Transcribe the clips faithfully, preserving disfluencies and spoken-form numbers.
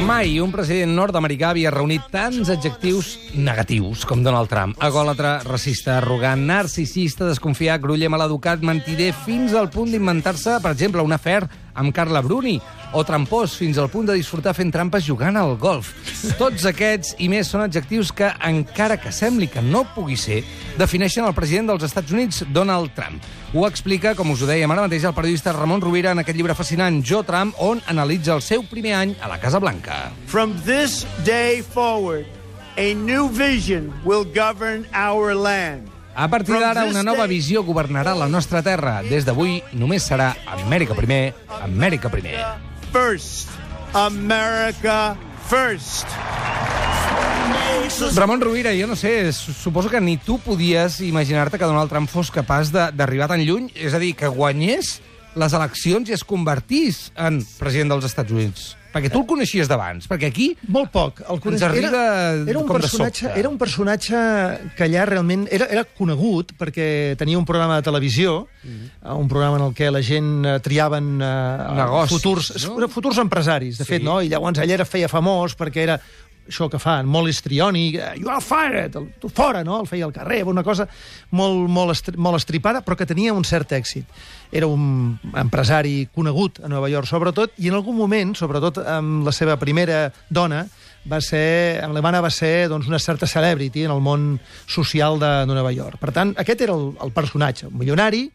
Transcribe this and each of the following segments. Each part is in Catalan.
Mai un president nord-americà havia reunit tants adjectius negatius com Donald Trump. Agòlatra, racista, arrogant, narcisista, desconfiat, gruller, maleducat, mentider, fins al punt d'inventar-se, per exemple, un afer amb Carla Bruni, o trampós, fins al punt de disfrutar fent trampes jugant al golf. Tots aquests i més són adjectius que, encara que sembli que no pugui ser, defineixen el president dels Estats Units, Donald Trump. Ho explica, com us ho dèiem ara mateix, el periodista Ramon Rovira en aquest llibre fascinant, Jo, Trump, on analitza el seu primer any a la Casa Blanca. From this day forward, a new vision will govern our land. A partir d'ara, una nova visió governarà la nostra terra. Des d'avui, només serà Amèrica primer, Amèrica primer. First. America first. Ramon Rovira, jo no sé, suposo que ni tu podies imaginar-te que Donald Trump fos capaç d'arribar tan lluny, és a dir, que guanyés les eleccions i es convertís en president dels Estats Units. Perquè tu el coneixies d'abans, perquè aquí molt poc. El ens arriba era, era un com de personatge, sobte. Era un personatge que allà realment era, era conegut perquè tenia un programa de televisió, mm-hmm. un programa en el què la gent uh, triaven uh, negocis, futurs, no? futurs empresaris, de sí. fet, no? I llavors ell era feia famós perquè era això que fan, molt histriònic, you are fired, tu fora, no? El feia al carrer, una cosa molt, molt, estri molt estripada, però que tenia un cert èxit. Era un empresari conegut a Nova York, sobretot, i en algun moment, sobretot amb la seva primera dona, va ser, amb l'Ivana va ser doncs, una certa celebrity en el món social de, de Nova York. Per tant, aquest era el, el personatge, un milionari,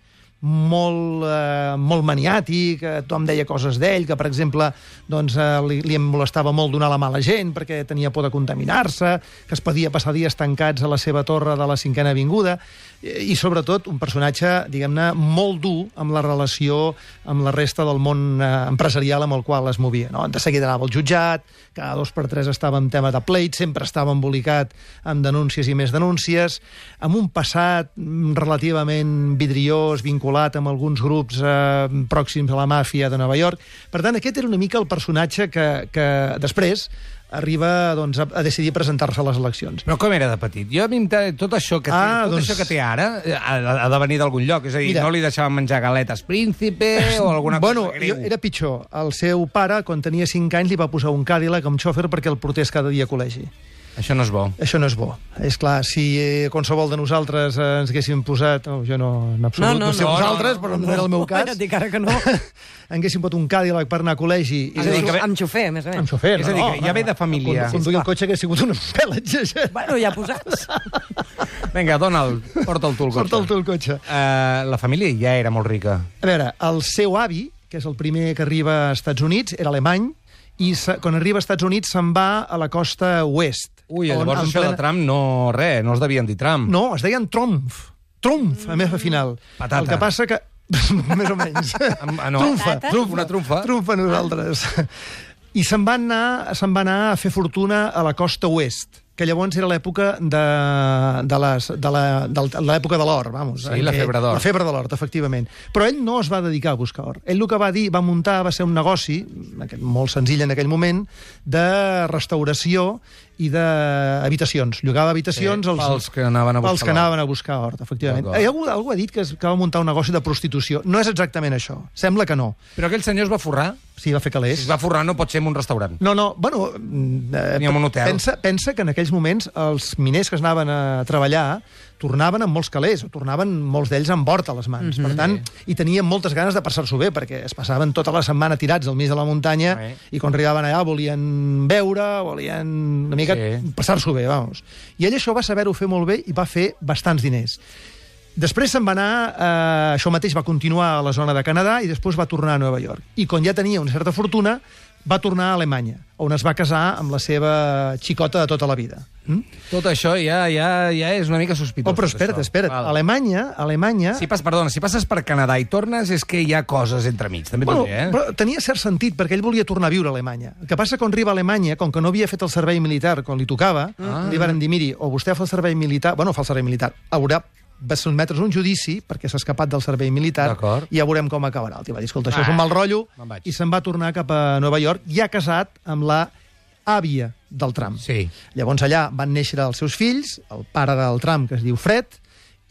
molt, eh, molt maniàtic, eh, tothom deia coses d'ell, que, per exemple, doncs, eh, li, li molestava molt donar la mà a la gent perquè tenia por de contaminar-se, que es podia passar dies tancats a la seva torre de la Cinquena Avinguda, i, i sobretot, un personatge, diguem-ne, molt dur amb la relació amb la resta del món eh, empresarial amb el qual es movia. No? De seguida anava al jutjat, cada dos per tres estava en tema de pleit, sempre estava embolicat amb denúncies i més denúncies, amb un passat relativament vidriós, vinculat amb alguns grups eh, pròxims a la màfia de Nova York. Per tant, aquest era una mica el personatge que, que després arriba doncs, a, a decidir presentar-se a les eleccions. Però com era de petit? Jo a mi tot això que té, Ah, tot doncs- això que té ara ha, ha de venir d'algun lloc. És a dir, Mira. no li deixaven menjar galetes príncipe o alguna Bueno, cosa greu. jo, era pitjor. El seu pare, quan tenia cinc anys, li va posar un Cadillac amb xòfer perquè el portés cada dia a col·legi. Això no és bo. Això no és bo. És clar, si eh, qualsevol de nosaltres eh, ens haguéssim posat... Oh, jo no, en absolut, No, no, no sé no, vosaltres, no, però no, no, era el meu no, cas. ja et dic ara que no. Haguéssim pot un Cadillac per anar a col·legi. És a dir, que... Amb xofer, a més a més. Amb xofer, És a dir, no, que ja ve de família. Conduir el cotxe que ha sigut un pèl exagerat. Bueno, ja posats. Vinga, Donald, porta'l tu el cotxe. Porta'l tu el cotxe. Uh, la família ja era molt rica. A veure, el seu avi, que és el primer que arriba als Estats Units, era alemany, i se, quan arriba als Estats Units se'n va a la costa oest. Ui, on, llavors en això de Trump no, res, no es devien dir Trump. No, es deien Trumf. Trumf, a més, al final. Patata. El que passa que... més o menys. Ah, no. Trumfa, Patata? trumfa. Una trumfa. Trumfa nosaltres. I se'n va anar, se'n va anar a fer fortuna a la costa oest, que llavors era l'època de, de les- de la- de l'època de l'or, vamos. Sí, en la què- febre d'or. La febre de l'or, efectivament. Però ell no es va dedicar a buscar or. Ell el que va dir, va muntar, va ser un negoci, aquest- molt senzill en aquell moment, de restauració i d'habitacions. Llogava habitacions Sí, als, pels que anaven a buscar pels que l'or. anaven a buscar or, efectivament. D'acord. Eh, algú, algú ha dit que, es, que va muntar un negoci de prostitució. No és exactament això. Sembla que no. Però aquell senyor es va forrar. Sí, va fer Si calés. es va forrar no pot ser en un restaurant. No, no, bueno... Eh, Ni en un hotel. Pensa, pensa que en aquells moments els miners que es anaven a treballar tornaven amb molts calés, o tornaven molts d'ells amb hort a les mans. Mhm. Per tant, i tenien moltes ganes de passar-s'ho bé, perquè es passaven tota la setmana tirats al mig de la muntanya Sí. i quan arribaven allà volien beure, volien una mica Sí. passar-s'ho bé, vamos. I ell això va saber-ho fer molt bé i va fer bastants diners. Després se'n va anar, eh, això mateix va continuar a la zona de Canadà i després va tornar a Nova York. I quan ja tenia una certa fortuna, va tornar a Alemanya, on es va casar amb la seva xicota de tota la vida. Mm? Tot això ja, ja, ja és una mica sospitós. Oh, però tot espera't, això. espera't. Val. Alemanya, Alemanya... Si pas, perdona, si passes per Canadà i tornes és que hi ha coses entremig, també Bueno, t'ho diré, eh? però tenia cert sentit, perquè ell volia tornar a viure a Alemanya. El que passa quan arriba a Alemanya, com que no havia fet el servei militar quan li tocava, Ah. li van dir, miri, o vostè fa el servei militar... Bueno, fa el servei militar. Haurà va sotmetre's a un judici perquè s'ha escapat del servei militar D'acord. i ja veurem com acabarà. El tio va dir, escolta, això és Ah, un mal rotllo, me'n vaig. i se'n va tornar cap a Nova York, ja casat amb la àvia del Trump. Sí. Llavors allà van néixer els seus fills, el pare del Trump, que es diu Fred,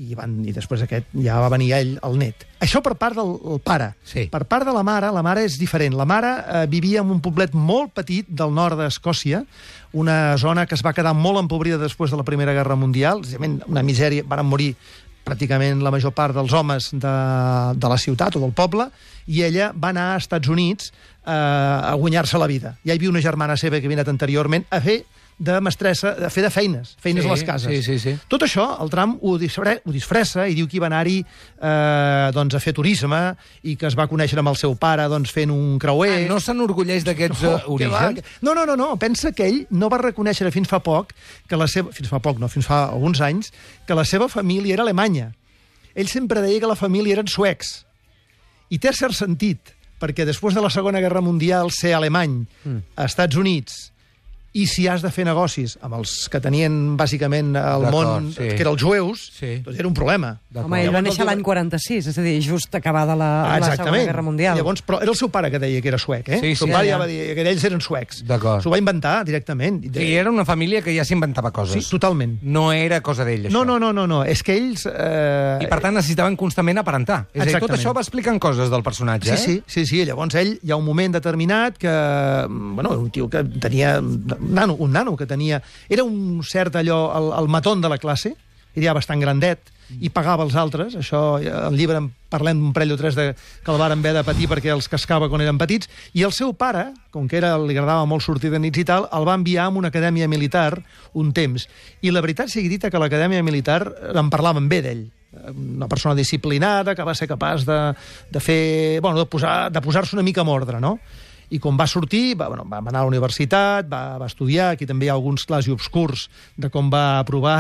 i, van, i després aquest ja va venir ell, el net. Això per part del el pare. Sí. Per part de la mare, la mare és diferent. La mare eh, vivia en un poblet molt petit del nord d'Escòcia, una zona que es va quedar molt empobrida després de la Primera Guerra Mundial, una misèria, van morir pràcticament la major part dels homes de, de la ciutat o del poble, i ella va anar a Estats Units eh, a guanyar-se la vida. Ja hi havia una germana seva que havia anat anteriorment a fer de mestressa, a fer de feines, feines Sí, a les cases. sí, sí, sí. Tot això, el Trump ho, disfre, ho disfressa i diu que hi va anar-hi eh, doncs, a fer turisme i que es va conèixer amb el seu pare doncs, fent un creuer. Ah, no s'enorgulleix d'aquests No, uh, que va, orígens? que- No, no, no, no, pensa que ell no va reconèixer fins fa poc, que la seva, fins fa poc, no, fins fa alguns anys, que la seva família era alemanya. Ell sempre deia que la família eren suecs. I té cert sentit, perquè després de la Segona Guerra Mundial ser alemany Mm. a Estats Units, i si has de fer negocis amb els que tenien bàsicament el D'acord, món, sí. que eren els jueus, Sí. doncs era un problema. D'acord. Home, ell va Llavors, néixer el- l'any quaranta-sis, és a dir, just acabada la, Ah, la Segona Guerra Mundial. Llavors, però era el seu pare que deia que era suec, eh? Sí, el seu sí, pare ja. ja va dir que ells eren suecs. D'acord. S'ho va inventar directament. Sí, era una família que ja s'inventava coses. Sí, totalment. No era cosa d'ell, això. No, no, no, no, no, és que ells... Eh... I per tant necessitaven constantment aparentar. És a dir, tot Exactament. això va explicant coses del personatge, Sí, eh? sí, sí, sí. Llavors ell, hi ha un moment determinat que... Bueno, un tio que tenia... Un nano, un nano que tenia... Era un cert allò, el, el matón de la classe, era ja bastant grandet, i pagava els altres. Això, al llibre en parlem d'un parell o tres de, que el varen haver de patir perquè els cascava quan eren petits. I el seu pare, com que era, li agradava molt sortir de nits i tal, el va enviar a una acadèmia militar un temps. I la veritat sigui dita que l'acadèmia militar en parlaven bé d'ell. Una persona disciplinada, que va ser capaç de, de fer... Bueno, de posar, de posar-se una mica en ordre, no? I quan va sortir, va, bueno, va anar a la universitat, va, va estudiar, aquí també hi ha alguns clars i obscurs de com va aprovar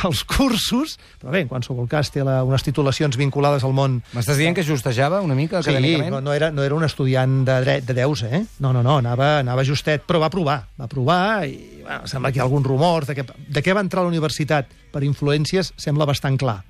els cursos, però bé, en qualsevol cas té la, unes titulacions vinculades al món. M'estàs dient que justejava una mica Sí, acadèmicament? no, no, era, no era un estudiant de dret de deus, eh? No, no, no, anava, anava justet, però va provar, va provar i bueno, sembla que hi ha algun rumor de, que, de què va entrar a la universitat per influències, sembla bastant clar.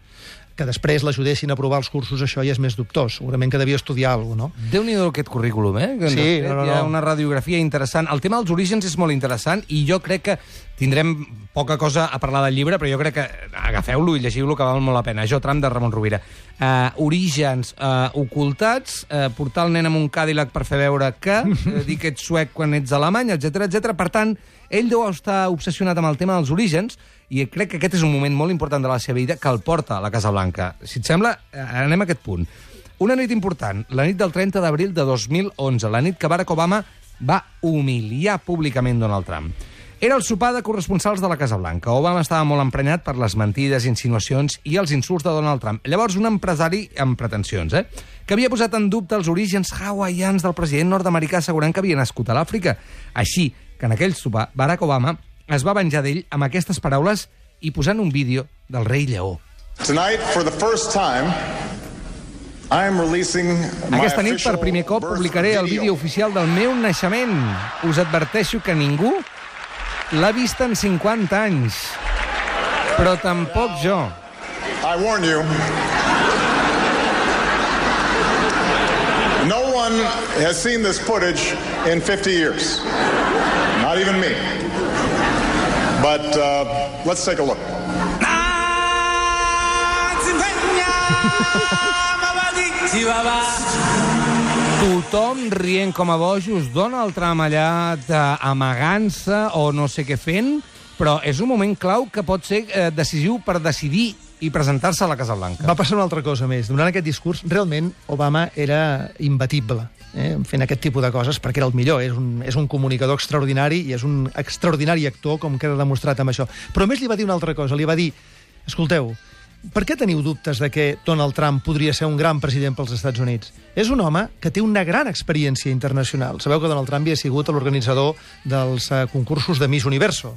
Que després l'ajudessin a aprovar els cursos, això ja és més dubtós. Segurament que devia estudiar alguna cosa, no? Déu-n'hi-do aquest currículum, eh? Que ens Sí, has fet. no, no, Hi ha no. una radiografia interessant. El tema dels orígens és molt interessant i jo crec que tindrem poca cosa a parlar del llibre, però jo crec que agafeu-lo i llegiu-lo, que val molt la pena. Jo, Trump, de Ramon Rovira. Uh, orígens uh, ocultats, uh, portar el nen amb un Cadillac per fer veure que, uh, dir que ets suec quan ets alemany, etcètera, etcètera. Per tant, ell deu estar obsessionat amb el tema dels orígens i crec que aquest és un moment molt important de la seva vida que el porta a la Casa Blanca. Si et sembla, eh, anem a aquest punt. Una nit important, la nit del trenta d'abril de dos mil onze, la nit que Barack Obama va humiliar públicament Donald Trump. Era el sopar de corresponsals de la Casa Blanca. Obama estava molt emprenyat per les mentides, insinuacions i els insults de Donald Trump. Llavors, un empresari amb pretensions, eh? que havia posat en dubte els orígens hawaians del president nord-americà assegurant que havia nascut a l'Àfrica. Així que en aquell sopar, Barack Obama es va venjar d'ell amb aquestes paraules i posant un vídeo del rei lleó. Tonight, for the first time, I am releasing my Aquesta nit, per primer cop, official publicaré el birth vídeo oficial del meu naixement. Us adverteixo que ningú l'ha vist en cinquanta anys. Però tampoc jo. I warn you, no one has seen this footage in fifty years. Not even me. But uh, let's take a look. Tothom rient com a bojos, Donald Trump allà eh, amagant-se o no sé què fent, però és un moment clau que pot ser eh, decisiu per decidir i presentar-se a la Casa Blanca. Va passar una altra cosa més. Durant aquest discurs, realment, Obama era imbatible eh, fent aquest tipus de coses, perquè era el millor. És un, és un comunicador extraordinari i és un extraordinari actor, com queda demostrat amb això. Però a més li va dir una altra cosa. Li va dir, escolteu, per què teniu dubtes de que Donald Trump podria ser un gran president pels Estats Units? És un home que té una gran experiència internacional. Sabeu que Donald Trump havia sigut l'organitzador dels uh, concursos de Miss Universo.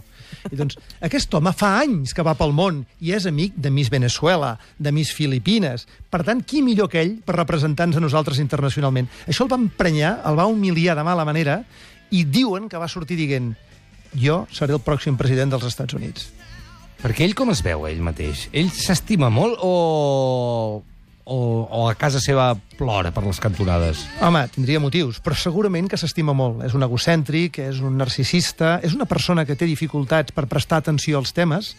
I doncs, aquest home fa anys que va pel món i és amic de Miss Venezuela, de Miss Filipines. Per tant, qui millor que ell per representar-nos a nosaltres internacionalment? Això el va emprenyar, el va humiliar de mala manera i diuen que va sortir dient jo seré el pròxim president dels Estats Units. Perquè ell com es veu, ell mateix? Ell s'estima molt o... o, o a casa seva plora per les cantonades? Home, tindria motius, però segurament que s'estima molt. És un egocèntric, és un narcisista, és una persona que té dificultats per prestar atenció als temes.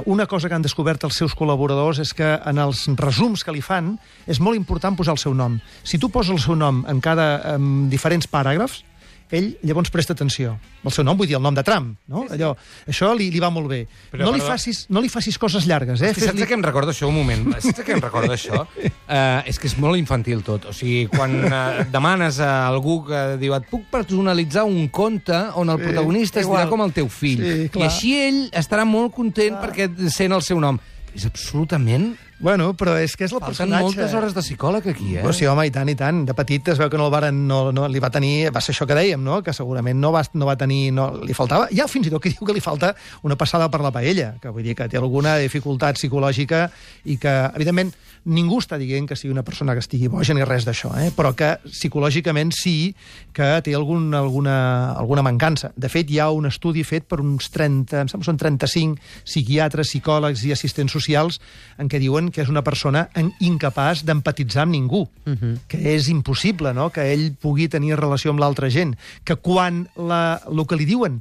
una cosa que han descobert els seus col·laboradors és que en els resums que li fan és molt important posar el seu nom. Si tu poses el seu nom en cada en diferents paràgrafs, ell llavors presta atenció. El seu nom, vull dir, el nom de Trump, no? Allò, això li, li va molt bé. Però, no, li perdó. facis, no li facis coses llargues, eh? És que saps Fes-li- què em recorda això, un moment? Saps què em recorda això? Uh, és que és molt infantil tot. O sigui, quan uh, demanes a algú que diu et puc personalitzar un conte on el protagonista es dirà com el teu fill. Sí, I clar. així ell estarà molt content perquè sent el seu nom. És absolutament... Bueno, però és que és el Falten personatge... moltes hores de psicòleg aquí, eh? Però sí, home, i tant, i tant. De petit es veu que no el varen, no, no, li va tenir... Va ser això que dèiem, no? Que segurament no va, no va tenir... No, li faltava... Hi ha fins i tot que diu que li falta una passada per la paella, que vull dir que té alguna dificultat psicològica i que, evidentment, ningú està dient que sigui una persona que estigui boja ni res d'això, eh? Però que psicològicament sí que té algun, alguna, alguna mancança. De fet, hi ha un estudi fet per uns trenta, em sembla que són trenta-cinc psiquiatres, psicòlegs i assistents socials en què diuen que és una persona incapaç d'empatitzar amb ningú, uh-huh. que és impossible, no?, que ell pugui tenir relació amb l'altra gent, que quan la, el que li diuen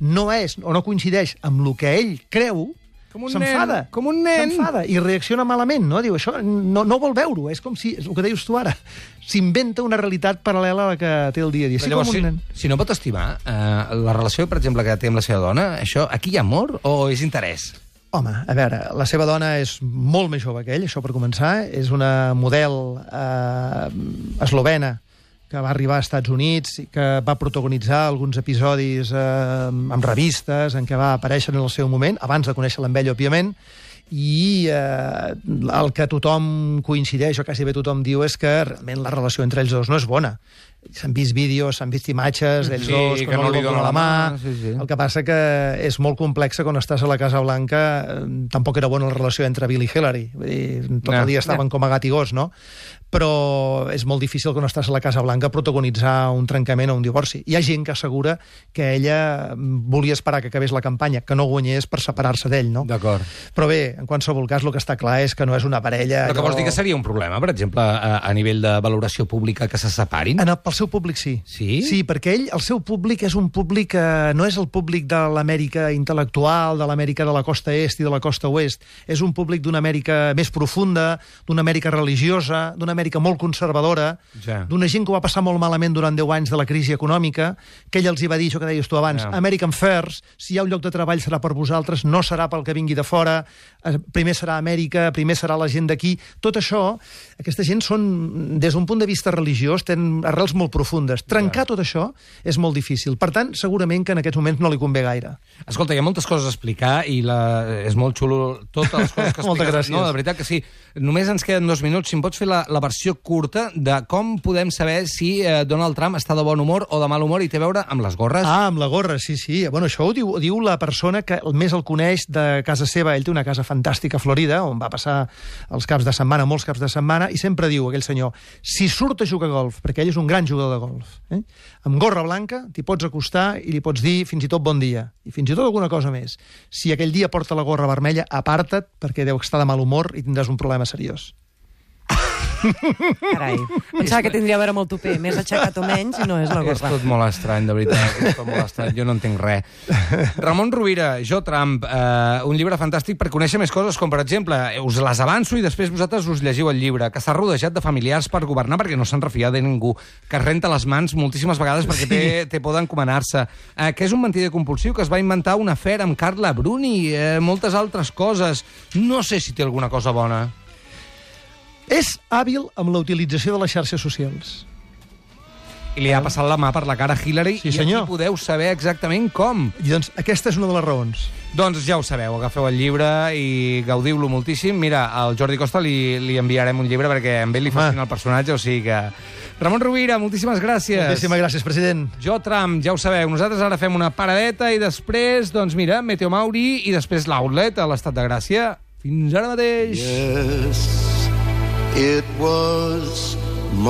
no és o no coincideix amb el que ell creu, Com un s'enfada. nen, com un nen. S'enfada i reacciona malament, no? Diu, això no, no vol veure-ho, és com si, és el que deies tu ara, s'inventa una realitat paral·lela a la que té el dia a dia. Sí, Llavors, com un si, nen. si no pot estimar, eh, la relació, per exemple, que té amb la seva dona, això, aquí hi ha amor o és interès? Home, a veure, la seva dona és molt més jove que ell, això per començar. És una model eh, eslovena que va arribar als Estats Units i que va protagonitzar alguns episodis eh, amb revistes en què va aparèixer en el seu moment, abans de conèixer-la amb ell, òbviament, i eh, el que tothom coincideix, o quasi bé tothom diu, és que realment la relació entre ells dos no és bona. S'han vist vídeos, s'han vist imatges d'ells Sí, dos, que no li donen donen la mà, sí, sí. El que passa que és molt complex quan estàs a la Casa Blanca. eh, Tampoc era bona la relació entre Bill i Hillary. Vull dir, tot No, el dia estaven no. com a gat i gos, no? Però és molt difícil quan estàs a la Casa Blanca protagonitzar un trencament o un divorci. Hi ha gent que assegura que ella volia esperar que acabés la campanya, que no guanyés per separar-se d'ell, no? D'acord. Però bé, en qualsevol cas, el que està clar és que no és una parella... Però que allò- vols dir que seria un problema, per exemple, a, a nivell de valoració pública que se separin? En el, pel seu públic, sí. Sí? Sí, perquè ell, el seu públic és un públic que no és el públic de l'Amèrica intel·lectual, de l'Amèrica de la costa est i de la costa oest. És un públic d'una Amèrica més profunda, d'una Amèrica religiosa, d'una Amèrica molt conservadora, Ja. d'una gent que ho va passar molt malament durant deu anys de la crisi econòmica, que ell els hi va dir, això que deies tu abans, Ja. American First, si hi ha un lloc de treball serà per vosaltres, no serà pel que vingui de fora, eh, primer serà Amèrica, primer serà la gent d'aquí. Tot això, aquesta gent són, des d'un punt de vista religiós, tenen arrels molt profundes. Trencar tot això és molt difícil. Per tant, segurament que en aquests moments no li convé gaire. Escolta, hi ha moltes coses a explicar i la... és molt xulo totes les coses que expliques. Moltes gràcies. No, de veritat que sí. Només ens queden dos minuts. Si em pots fer la, la versió curta de com podem saber si eh, Donald Trump està de bon humor o de mal humor i té a veure amb les gorres? Ah, amb la gorra, sí, sí. Bueno, això ho diu, ho diu la persona que més el coneix de casa seva. Ell té una casa fantàstica a Florida, on va passar els caps de setmana, molts caps de setmana, i sempre diu aquell senyor, si surt a jugar a golf, perquè ell és un gran jugador de golf, eh? Amb gorra blanca t'hi pots acostar i li pots dir fins i tot bon dia, i fins i tot alguna cosa més. Si aquell dia porta la gorra vermella, aparta't, perquè deu estar de mal humor i tindràs un problema seriós. Carai, pensava que tindria a veure amb el tupé, més aixecat o menys, i no és la És gorra. tot molt estrany, de veritat. És tot molt estrany. Jo no entenc res. Ramon Rovira, Jo Trump, eh, un llibre fantàstic per conèixer més coses, com per exemple, us les avanço i després vosaltres us llegiu el llibre, que està rodejat de familiars per governar perquè no se'n refia de ningú, que es renta les mans moltíssimes vegades perquè té, té por d'encomanar-se, eh, que és un mentider compulsiu, que es va inventar una afer amb Carla Bruni, eh, moltes altres coses. No sé si té alguna cosa bona. És hàbil amb la utilització de les xarxes socials. I li ha passat la mà per la cara a Hillary Sí, i senyor. aquí podeu saber exactament com. I doncs aquesta és una de les raons. Doncs ja ho sabeu, agafeu el llibre i gaudiu-lo moltíssim. Mira, al Jordi Costa li, li enviarem un llibre perquè a ell li fascina el personatge, o sigui que... Ramon Rovira, moltíssimes gràcies. Moltíssimes gràcies, president. Jo Trump, ja ho sabeu, nosaltres ara fem una paradeta i després, doncs mira, Meteo Mauri i després l'Outlet a l'Estat de Gràcia. Fins ara mateix. Yes, it was my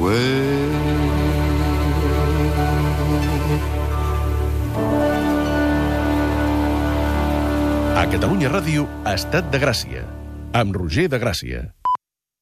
way. A Catalunya Ràdio, Estat de Gràcia, amb Roger de Gràcia.